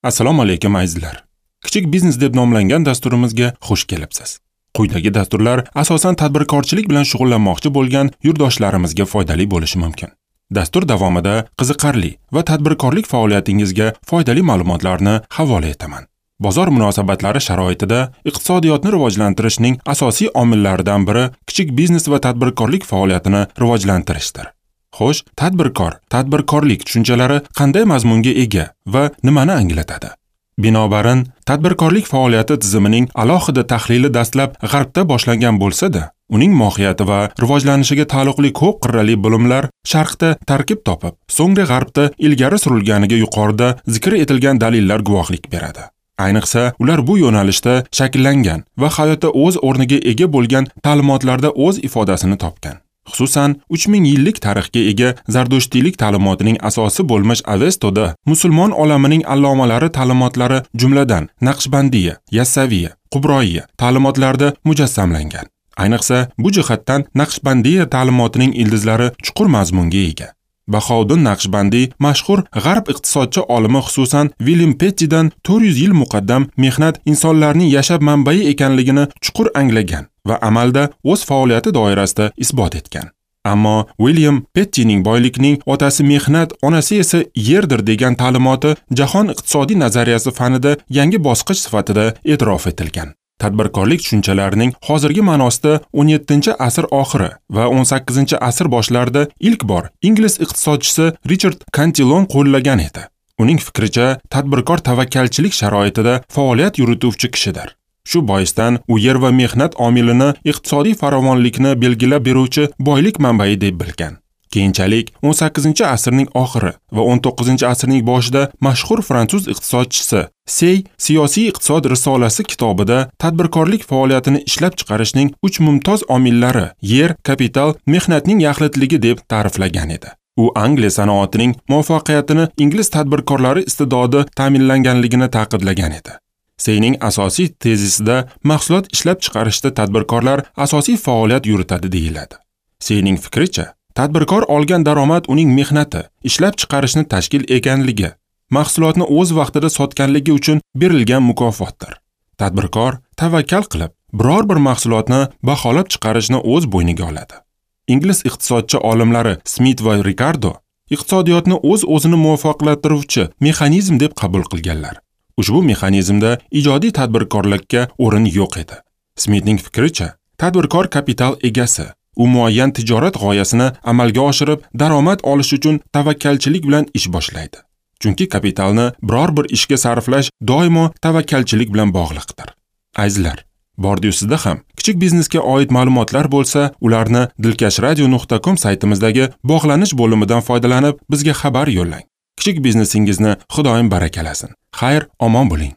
Assalomu alaykum azizlar. Kichik biznes deb nomlangan dasturimizga xush kelibsiz. Quyidagi dasturlar asosan tadbirkorchilik bilan shug'ullanmoqchi bo'lgan yurtdoshlarimizga foydali bo'lishi mumkin. Dastur davomida qiziqarli va tadbirkorlik faoliyatingizga foydali ma'lumotlarni havola etaman. Bozor munosabatlari sharoitida iqtisodiyotni rivojlantirishning asosiy omillaridan biri kichik biznes va tadbirkorlik faoliyatini rivojlantirishdir. Xo'sh, tadbirkor, tadbirkorlik tushunchalari qanday mazmunga ega va nimani anglatadi? Binobarin, tadbirkorlik faoliyati tizimining alohida tahlili dastlab G'arbda boshlangan bo'lsa-da, uning mohiyati va rivojlanishiga taalluqli ko'p qirrali bilimlar Sharqda tarkib topib, so'ngra G'arbda ilgari surilganiga yuqorida zikr etilgan dalillar guvohlik beradi. Ayniqsa, ular bu yo'nalishda shakllangan va hayotda o'z o'rniga ega bo'lgan ta'limotlarda o'z ifodasini topgan. Xususan, 3000 yillik tarixga ega zardushtiylik ta'limotining asosi bo'lmish Avestoda musulmon olamining allomalari ta'limotlari jumladan Naqshbandiya, Yassaviya, Qubroiya ta'limotlarida mujassamlangan. Ayniqsa, bu jihatdan Naqshbandiya ta'limotining ildizlari chuqur mazmunga ega. Bahouddin Naqshbandiy mashhur g'arb iqtisodchi olimi, xususan William Pettidan 400 yil muqaddam mehnat insonlarning yashab manbai ekanligini chuqur anglagan va amalda o'z faoliyati doirasida isbot etgan. Ammo William Pettining boylikning otasi mehnat, onasi esa yerdir degan ta'limoti jahon iqtisodiy nazariyasi fanida yangi bosqich sifatida e'tirof etilgan. Tadbirkorlik tushunchalarining hozirgi ma'nosida 17-asr oxiri va 18-asr boshlarida ilk bor ingliz iqtisodchisi Richard Cantillon qo'llagan edi. Uning fikricha, tadbirkor tavakkalchilik sharoitida faoliyat yurituvchi kishidir. Shu boisdan u yer va mehnat omilini iqtisodiy farovonlikni belgilab beruvchi boylik manbai deb bilgan. Keyinchalik 18-asrning oxiri va 19-asrning boshida mashhur fransuz iqtisodchisi Sey Siyosiy iqtisod risolasi kitobida tadbirkorlik faoliyatini ishlab chiqarishning 3 mumtoz omillari yer, kapital, mehnatning yaxlitligi deb ta'riflagan edi. U Angliya sanoatining muvaffaqiyatini ingliz tadbirkorlari iste'dodi ta'minlanganligini ta'kidlagan edi. Seyning asosiy tezisida mahsulot ishlab chiqarishda tadbirkorlar asosiy faoliyat yuritadi deyiladi. Seyning fikricha, tadbirkor olgan daromad uning mehnati, ishlab chiqarishni tashkil eganligi, mahsulotni o'z vaqtida sotganligi uchun berilgan mukofotdir. Tadbirkor tavakkal qilib, biror bir mahsulotni baholab chiqarishni o'z bo'yniga oladi. Ingliz iqtisodchi olimlari Smit va Ricardo iqtisodiyotni o'z-o'zini muvofiqlashtiruvchi mexanizm deb qabul qilganlar. Ushbu mexanizmda ijodiy tadbirkorlikka o'rin yo'q edi. Smitning fikricha, tadbirkor kapital egasi. U muayyan tijorat g'oyasini amalga oshirib, daromad olish uchun tavakkalchilik bilan ish boshlaydi. Chunki kapitalni biror bir ishga sarflash doimo tavakkalchilik bilan bog'liqdir. Azizlar, bordi-yu sizda ham kichik biznesga oid ma'lumotlar bo'lsa, ularni dilkashradio.com saytimizdagi bog'lanish bo'limidan foydalanib bizga xabar yo'llang. Kichik biznesingizni Xudoyim barakalasin. Xayr, omon bo'ling.